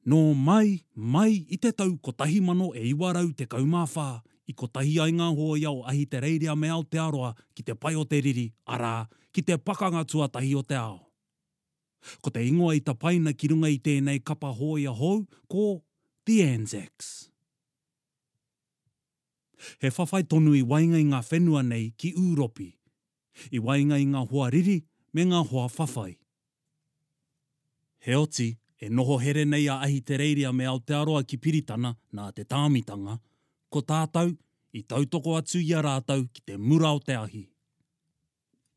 Nō mai, mai i te tau 1914 i kotahi ai ngā hōia o Ahitereiria me Aotearoa ki te pae o te riri, arā, ki te Pakanga Tuatahi o te Ao. Ko te ingoa i tapaina ki runga i tēnei kapa hōia hou ko The Anzacs. He whawhai tonu i waenga i ngā whenua nei ki Ūropi, i waenga i ngā hoa riri me ngā hoa whawhai. Heoti, e noho here nei a Ahitereiria me Aotearoa ki Piritana nā te tāmitanga, ko tātou, i tautoko atu i a rātou ki te mura o te ahi.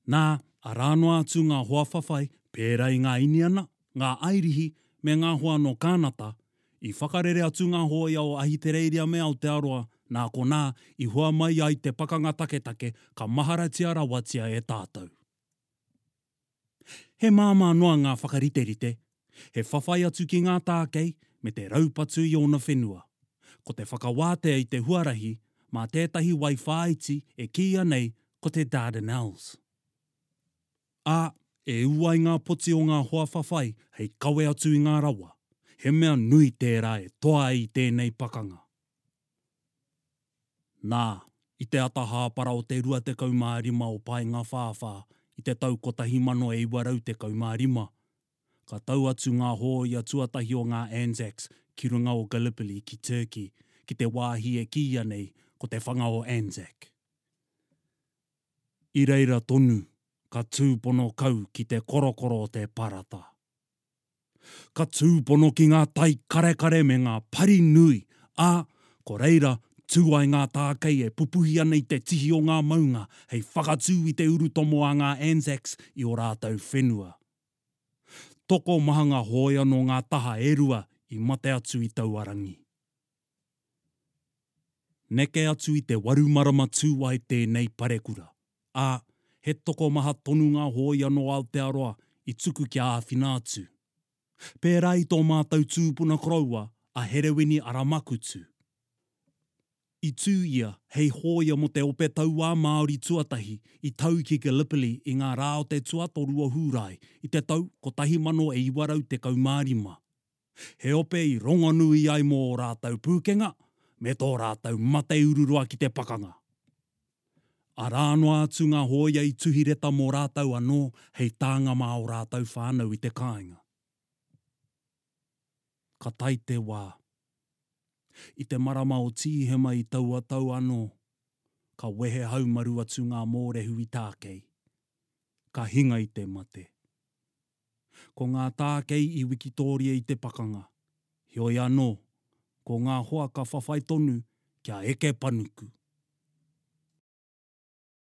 Nā, arā noa atu ngā hoa whawhai pērā i ngā Iniana, ngā Airihi me ngā hoa nō Kānata, i whakarere atu ngā hōia o Ahitereiria me Aotearoa, nā konā i hua mai ai te pakanga taketake ka maharatia rawatia e tātou. He māmā noa ngā whakariterite, he whawhai atu ki ngā tākei me te raupatu i ōna whenua. Ko te whakawātea i te huarahi mā tētahi wai whāiti e kīia nei ko te Dardanelles. Ā, e ū ai ngā poti o ngā hoa whawhai hei kawe atu i ngā rawa, he mea nui tērā e toa ai i tēnei pakanga. Nā, i te ata hāpara o te 25 o Paengawhāwhā i te tau 1915, ka tau atu ngā hōia tuatahi o ngā Anzacs ki runga o Gallipoli ki Turkey, ki te wāhi e kīia nei ko te Whanga o Anzac. I reira tonu ka tūpono kau ki te korokoro o te parata. Ka tūpono ki ngā tai karekare me ngā pari nui, ā, ko reira tū ai ngā tākei e pupuhi ana i te tihi o ngā maunga hei whakatū i te urutomo a ngā Anzacs i ō rātou whenua. Tokomaha ngā hōia nō ngā taha e rua i mate atu i taua rangi. Neke atu i te waru marama tū ai tēnei parekura, ā, he tokomaha tonu ngā hōia nō Aotearoa i tuku kia āwhina atu. Pērā i tō mātou tūpuna koroua a Herewini Aramakutu. I tū ia hei hōia mō te Ope Tauā Māori tuatahi i tau ki Gallipoli i ngā rā o te tuatoru o Hūrae i te tau 1915. He ope i rongonui ai mō ō rātou pūkenga me tō rātou mate ururoa ki te pakanga. Arā noa atu ngā hōia i tuhi reta mō rātou anō hei tānga mā ō rātou whānau i te kāinga. Ka tae te wā. I te marama o Tīhema i taua tau anō, ka wehe haumaru atu ngā mōrehu i Tākei. Ka hinga i te mate. Ko ngā tākei i wikitōria i te pakanga. Heoi anō, ko ngā hoa ka whawhai tonu kia eke panuku.